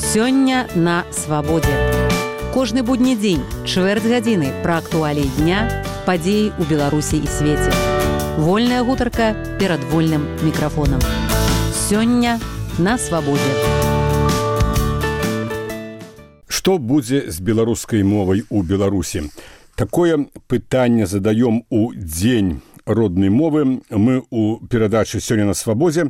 Сёння на свабодзе. Кожны будні дзень, чвэрць гадзіны пра актуаліі дня, падзеі ў Беларусі і свеце. Вольная гутарка перад вольным мікрафонам. Сёння на свабодзе. Што будзе з беларускай мовай у Беларусі? Такое пытанне задаём у дзень роднай мовы. Мы у перадачы «Сёння на свабодзе».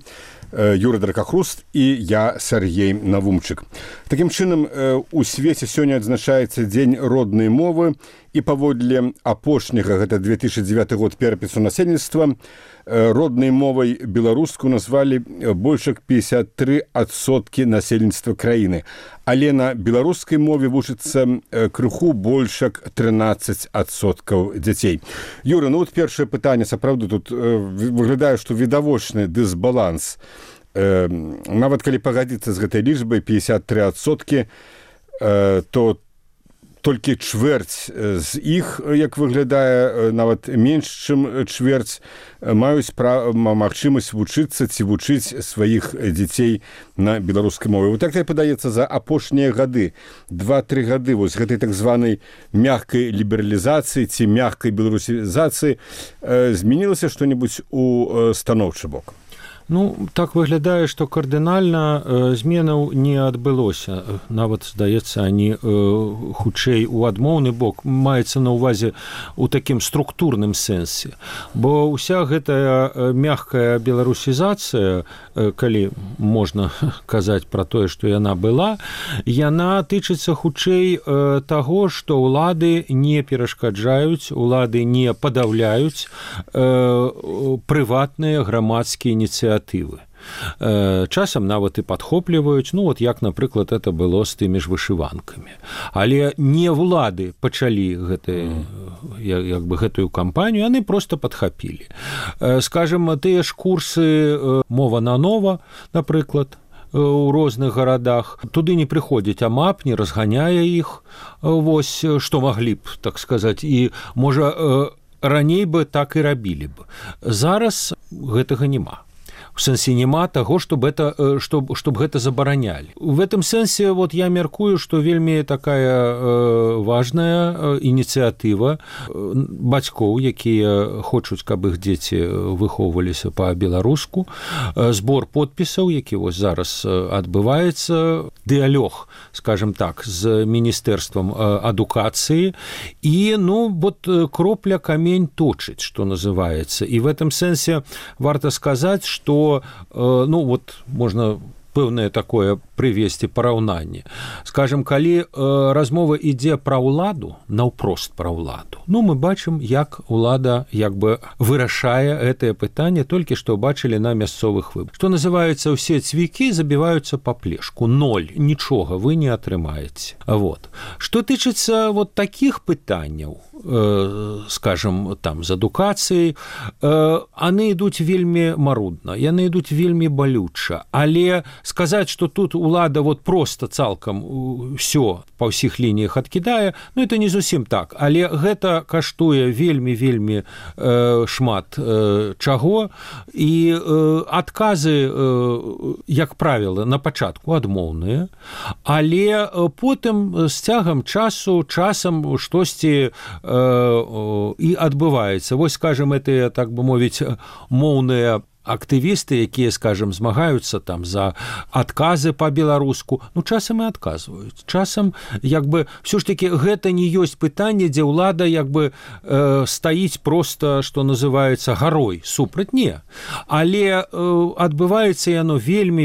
Юрий Дракахруст і я, Сергей Навумчык. Такім чынам, у свеце сёння адзначаецца Дзень роднай мовы, і паводле апошняга, гэта 2009 год перапісу насельніцтва, роднай мовай беларускую назвалі больш як 53% насельніцтва краіны. Але на беларускай мове вучыцца крыху больш як 13% дзяцей. Юра, ну вот першае пытанне, сапраўды, тут выглядае, што відавочны дысбаланс. Нават калі пагадзіцца з гэтай лічбай 53%, то толькі чвэрць з іх, як выглядае, нават менш, чым чвэрць, маюць магчымасць вучыцца ці вучыць сваіх дзяцей на беларускай мове. Вот так падаецца, за апошнія гады, 2-3 гады, вось гэтай так званай мягкай лібералізацыі ці мягкай беларусізацыі змянілася што-небудзь у станоўчы бок? Ну, так выглядае, што кардынальна зменаў не адбылося. Нават, здаецца, они хутчэй у адмоўны бок, маецца на ўвазе у такім структурным сэнсе. Бо ўся гэтая мягкая беларусізацыя, калі можна казаць пра тое, што яна была, яна тычыцца хутчэй таго, што ўлады не перашкаджаюць, улады не падаўляюць прыватныя грамадскія ініцыятывы. Часам нават і падхопліваюць, ну вот як, напрыклад, это было з тымі ж вышыванкамі. Але не ўлады пачалі гэтую кампанію, яны проста падхапілі. Скажем, тыя ж курсы «Мова на нова», напрыклад, у розных гарадах, туды не прыходзіць АМАП, не разганяе іх, вось, што маглі б, так сказаць, і, можа, раней бы так і рабілі б. Зараз гэтага няма. В сэнсе няма таго, чтоб гэта забаранялі. В этом сэнсе вот я мяркую, што вельмі такая важная ініцыятыва бацькоў, якія хочуць, каб іх дзеці выхоўваліся па-беларуску, збор подпісаў, які вось зараз адбываецца, дыалог, скажем так, з міністэрствам адукацыі, і, ну, вот кропля камень точыць, што называецца. І в этом сэнсе варта сказаць, што ну, вот, можна пэўнае такое прывесці параўнанне. Скажем, калі размова ідзе пра ўладу, наўпрост пра ўладу, ну, мы бачым, як ўлада як бы вырашае гэтае пытанне, толькі што бачылі на мясцовых выбарах. Што называецца, ўсе цвікі забіваюцца па плешку. 0, нічога вы не атрымаеце. Вот. Што тычыцца вот такіх пытанняў, скажем, там, з адукацыяй, яны ідуць вельмі марудна, яны ідуць вельмі балюча, але сказаць, што тут улада вот просто цалкам ўсё па ўсіх лініях адкідае, ну, это не зусім так, але гэта каштуе вельмі шмат чаго, і адказы, як правіла, на пачатку адмоўныя, але потым з цягам часам штосьці і адбываецца. Вось, скажем, это, так бы мовіць, моўныя актывісты, якія, скажем, змагаюцца там за адказы па-беларуску, ну, часам і адказваюць. Часам, як бы, все ж таки, гэта не ёсць пытанне, дзе ўлада, як бы, стаіць проста, што называецца, гарой, супраць, не. Але адбываецца яно вельмі,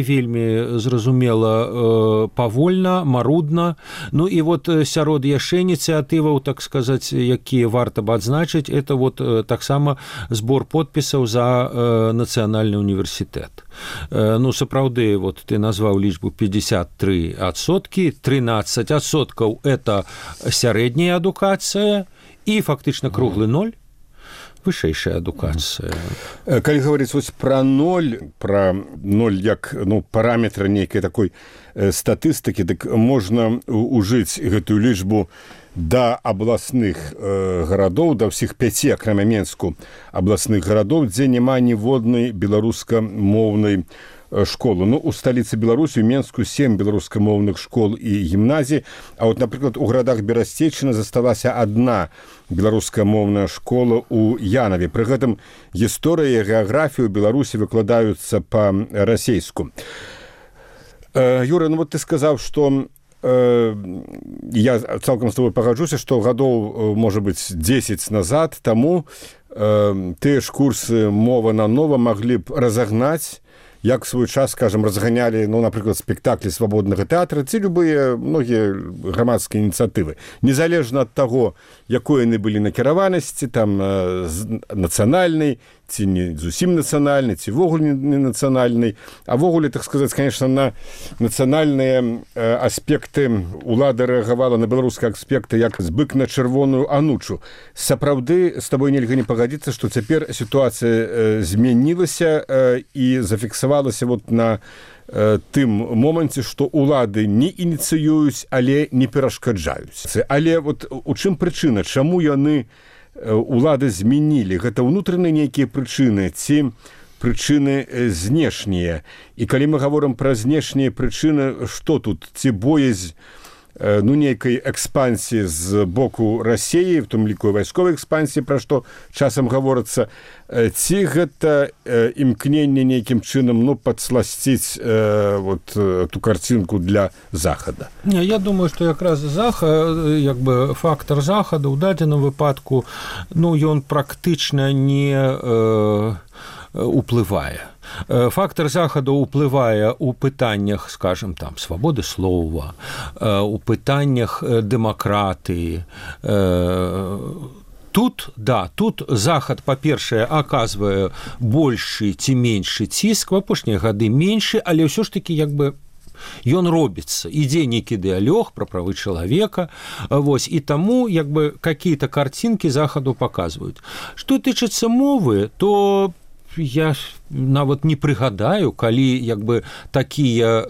зразумела, павольна, марудна. Ну, і вот сярод яшчэ ініцыятываў, так сказаць, якія варта б адзначыць, это вот таксама збор подпісаў за нацыянальны універсітэт. Ну, сапраўды, вот ты назваў лічбу 53%, 13% это сярэдняя адукацыя і фактычна круглы 0, вышэйшая адукацыя. Калі гаварыць вось пра 0, як, ну, параметр нейкай такой статыстыкі, так можна ужыць гэтую лічбу да абласных гарадоў, да ўсіх 5, акрамя Менску, абласных гарадоў, дзе няма ніводнай беларускамоўнай школы. Ну, у сталіцы Беларусі, у Менску 7 беларускамоўных школ і гімназій, а вот, напрыклад, у гарадах Берасцейчыны засталася одна беларускамоўная школа у Янаве. Пры гэтым гісторыя і геаграфія ў Беларусі выкладаюцца па-расейску. Юра, ну вот ты сказаў, што я цалкам з тобой пагаджуся, што гадоў, можа быць, 10 назад таму тыя ж курсы мова на нова маглі б разагнаць, як в свой час, скажем, разганялі, ну, напрыклад, спектаклі свабоднага тэатра ці любыя многія грамадскія ініцыятывы. Незалежна ад таго, якой яны былі накіраванасці, там, нацыянальнай, ці не зусім нацыянальнай, ці вогуле не нацыянальнай, а вогуле, так сказаць, конечно, на нацыянальныя аспекты ўлада рэагавала, на беларускія аспекты, як збык на чырвоную анучу. Сапраўды, з табой нельга не пагадзіцца, што цяпер сітуацыя змянілася і зафіксавалася вот на тым моманце, што ўлады не ініцыююць, але не перашкаджаюць. Але вот у чым прычына? Чаму яны улады змянілі? Гэта ўнутраныя нейкія прычыны ці прычыны знешнія? І калі мы гаворым пра знешнія прычыны, што тут? Ці боязь ну, нейкай экспансіі з боку Расіі, в том ліку вайсковай экспансіі, пра што часам гаворыцца, ці гэта імкненне нейкім чынам, ну, падсласціць вот ту карцінку для Захада? Не, я думаю, што якраз як бы фактар Захада ў дадзеным выпадку, ну, ён практычна не уплывае. Фактор Захаду ўплывае ў пытаннях, скажем, там, свабоды слова, у пытаннях дэмакратыі. Тут Захад, па-першае, аказвае большы ці меншы ціск, в апошнія гады меншы, але ўсё ж такі, як бы, ён робіцца. Ідзе нейкі дыялог пра правы чалавека, вось, і таму, як бы, какие-то картинкі Захаду паказваюць. Што тычыцца мовы, то я нават не прыгадаю, калі як бы такія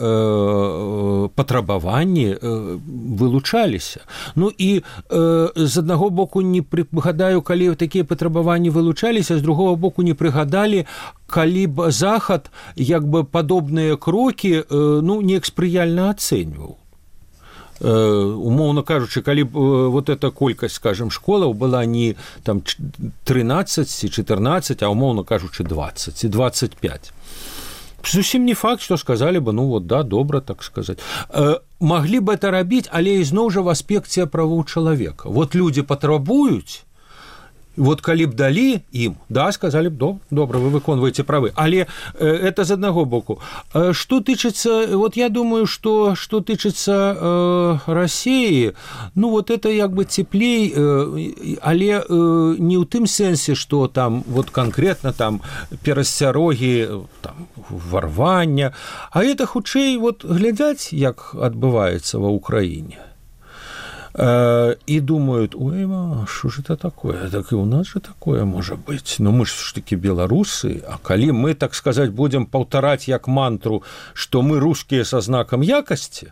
патрабаванні вылучаліся. Ну і з аднаго боку не прыгадаю, калі такія патрабаванні вылучаліся, з другого боку не прыгадалі, калі б Захад як бы падобныя крокі ну неяк спрыяльна ацэньваў. Умоўна кажучы, калі б вот эта колькасць, скажем, школаў была не там 13 ці 14, а умоўна кажучы 20 ці 25. Зусім не факт, што сказалі бы, ну вот да, добра, так сказаць. Маглі б это рабіць, але ізноў жа в аспекце правоў чалавека. Вот людзі патрабуюць, вот калі б далі ім, да, сказалі б, добра, вы выконваеце правы. Але это з аднаго боку. Што тычыцца, вот я думаю, што тычыцца Расіі, ну вот это як бы цеплей, але не ў тым сэнсе, што там вот канкрэтна там перасцярогі, там варвання, а это хутчэй вот глядзяць, як адбываецца ва Ўкраіне. И думают, ой, что же это такое? Так и у нас же такое может быть. Но мы же все-таки белорусы, а коли мы, так сказать, будем повторять як мантру, что мы русские со знаком якости,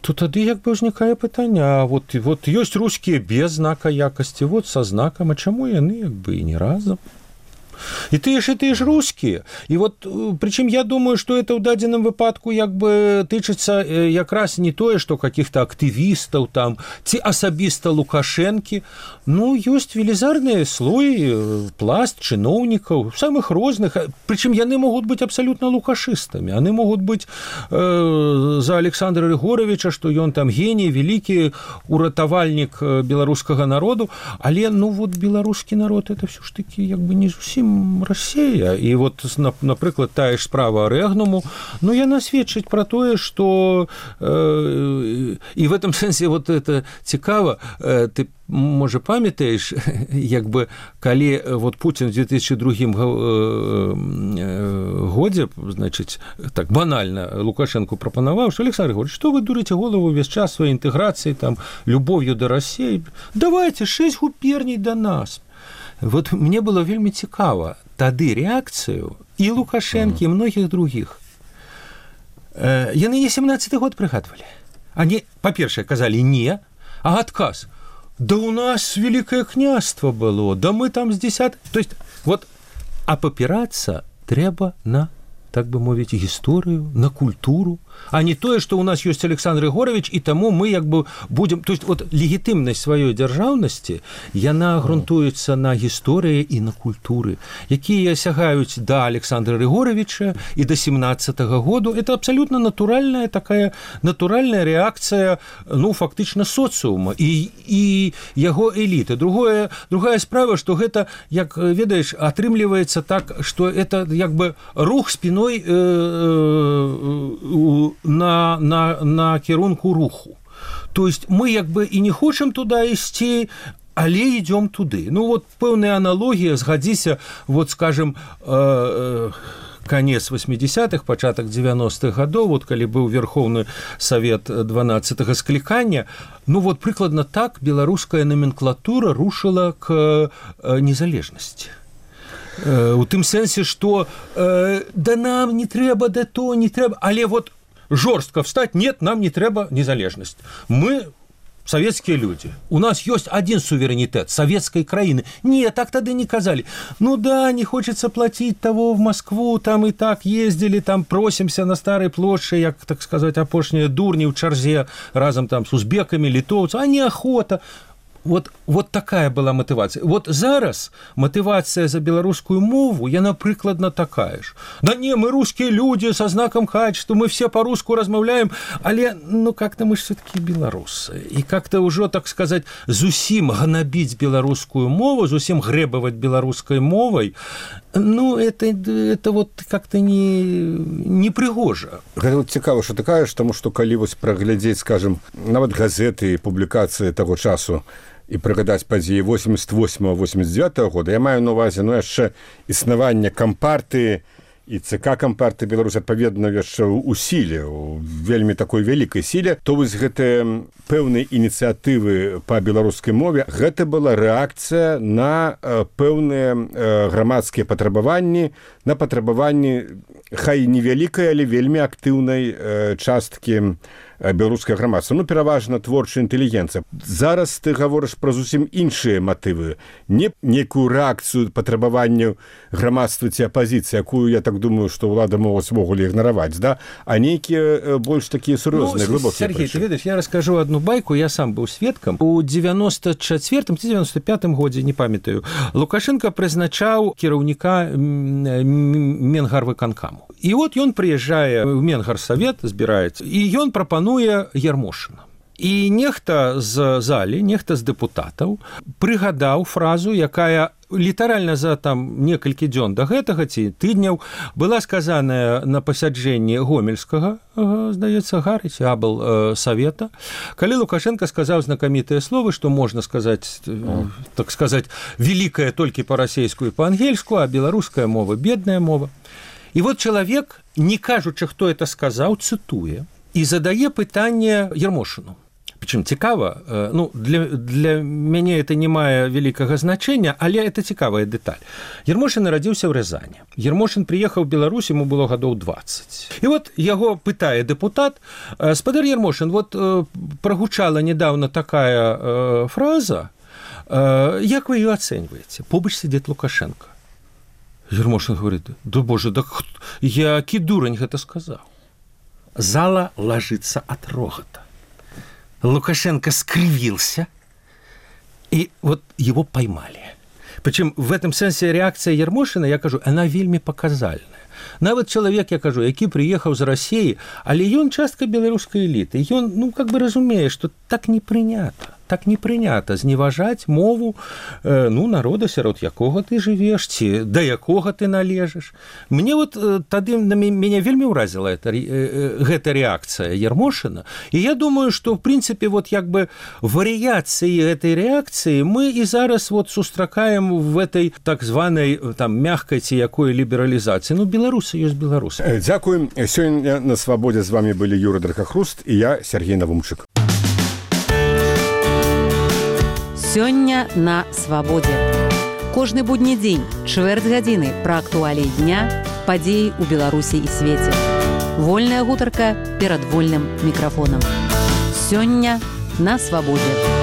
то тады як бы ўзнікае пытанне, а вот ёсць русские без знака якости, вот со знаком, а чаму яны як бы и не разом? И ты ж русские. И вот, причем я думаю, что это в дадзеным выпадку як бы тычыцца якраз не тое, что каких-то активистов там, ці асабіста Лукашэнкі. Ну, ёсць велізарны слой, пласт чыноўнікаў, самых розных. Причем яны могут быть абсолютно лукашистами. Они могут быть за Александра Григоровича, что ён там гений, великий уратавальнік беларускага народу. Але, ну, вот беларускі народ, это все ж таки як бы не зусім Россия. И вот, напрыклад, тая ж справа Рэгнуму, ну, яна сведчыць пра тое, што і в этом сэнсе вот это цікава, ты можа памятаеш, як бы калі вот Путин в 2002 годзе, значыць, так банальна Лукашенко прапанаваў, што Александр Григорьевич, што вы дурыце голову весь час сваёй інтэграцыі, там, любов'ю да России, давайте 6 губерний до нас. Вот мне было вельмі цікава тады рэакцыю і Лукашэнкі, і многіх другіх. Яны не 17-й год прыгадвалі. Они, па-першае, казалі не, А адказ: да у нас Великое княство было, да мы там с 10... То есть, вот, а папирацца трэба на, так бы мовіць, гісторыю, на культуру, а не тое, што ў нас ёсць Александр Егорович, і таму мы як бы будзем... То есть, вот, легітымнасць сваёй дзяржаўнасці, яна грунтуецца на гісторыі і на культуры, якія сягаюць да Александра Григоровича і да 17-го году. Это абсолютно натуральная такая, натуральная реакция, ну, фактычна социума і яго эліты. Другая справа, што гэта, як ведаеш, атрымліваецца так, што это як бы рух спиной на кірунку руху. То есть мы як бы і не хочам туда ісці, але ідём туды. Ну вот пэўная аналогія, згадзіся, вот скажем, конец 80-х, пачатак 90-х гадоў, вот калі быў Верховны Савет 12-го склікання, ну вот прыкладна так беларуская номенклатура рушыла к незалежнасці. У тым сэнсе, што да нам не трэба, да то не трэба, але вот жорстка встать, нет, нам не трэба незалежнасць. Мы советские люди. У нас есть один суверенитет советской краины. Нет, так тогда не казали. Ну да, не хочется платить того в Москву, там и так ездили, там просимся на Старой площади, як, так сказать, апошнія дурни в чарзе, разом там с узбеками, литовцами, а неохота. Вот такая была мотивация. Вот зараз мотивация за белорусскую мову, яна прыкладна такая ж. Да не, мы русские люди со знаком качества, мы все по-русски размаўляем, але, ну, как-то мы ж все-таки белорусы. И как-то уже, так сказать, зусім гнабить белорусскую мову, зусім грэбаваць белорусской мовой, ну, это вот как-то не пригожа. Гэта вот цікава, што ты кажаш, таму што калі вось праглядзець, скажем, нават газеты, публікацыі таго часу, і прыгадаць падзеі 88-89 года, я маю на ўвазе, ну, яшчэ існаванне кампартыі і ЦК кампартыі Беларусі адпаведна яшчэ ў сіле, у вельмі такой вялікай сіле, то вось гэтыя пэўныя ініцыятывы па беларускай мове, гэта была рэакцыя на пэўныя грамадскія патрабаванні, на патрабаванні хай невялікай, але вельмі актыўнай часткі беларускае грамадства, ну, пераважна творчая інтэлігенцыя. Зараз ты гаворыш пра зусім іншыя матывы, не некую рэакцыю патрабаванняў грамадства ці апазіцыі, якую, я так думаю, што ўлада могуць могулі ігнараваць, да? А нейкія больш такія сур'ёзныя, глыбокія. Сергей, ты ведаеш, я раскажу одну байку, я сам быў сведкам. У 94-м ці 95-м годзе, не памятаю, Лукашенко прызначаў кіраўніка Менгарвыканкаму. І от ён прыязджае ў Менгарсавет, збіраецца, і ён прапануе Ярмошына. І нехта з залі, нехта з дэпутатаў прыгадаў фразу, якая літаральна за там некалькі дзён да гэтага ці тыдняў была сказаная на пасяджэнні гомельскага, здаецца, гарыць, абл савета, калі Лукашенко сказаў знакамітыя словы, што можна сказаць, так сказаць, великая толькі па-расейску і па-ангельску, а беларуская мова бедная мова. І вот чалавек, не кажучы, хто это сказаў, цытуе і задае пытанне Ярмошыну. Причем цікава, ну, для мяне это не мае вялікага значэння, але это цікавая дэталь. Ярмошын нарадзіўся ў Рязані. Ярмошын прыехаў в Беларусь, ему было гадоў 20. І вот яго пытае дэпутат: спадар Ярмошын, вот прагучала недавно такая фраза, як вы ее оцениваете? Побач сидит Лукашенко. Ярмошын говорит: да боже, да які дурань гэта сказаў. Зала ложится от рогота. Лукашенко скривился, и вот его поймали. Причем в этом сенсе реакция Ярмошина, я кажу, она вельмі показальная. Нават чалавек, я кажу, які прыехаў з Расіі, але ён частка беларускай эліты. Ён, ну, как бы разумее, што так не прынята зневажаць мову, ну, народа, сярод якога ты жывеш, ці да якога ты належыш. Мне вот тады мяне вельмі ўразіла гэта рэакцыя Ярмошына, і я думаю, што в прынцыпе вот як бы варыяцыі гэтай рэакцыі мы і зараз вот сустракаем в этой так званай там мягкай ці якой лібералізацыі. Ну, беларусы ёсць беларусы. Дзякуем. Сёння на Свабодзе з вами былі Юрый Дракахруст і я, Сергей Навумчык. Сёння на Свабодзе. Кожны будні дзень, чвэрць гадзіны пра актуаліі дня, падзеі ў Беларусі і свеце. Вольная гутарка перад вольным мікрафонам. Сёння на свабодзе.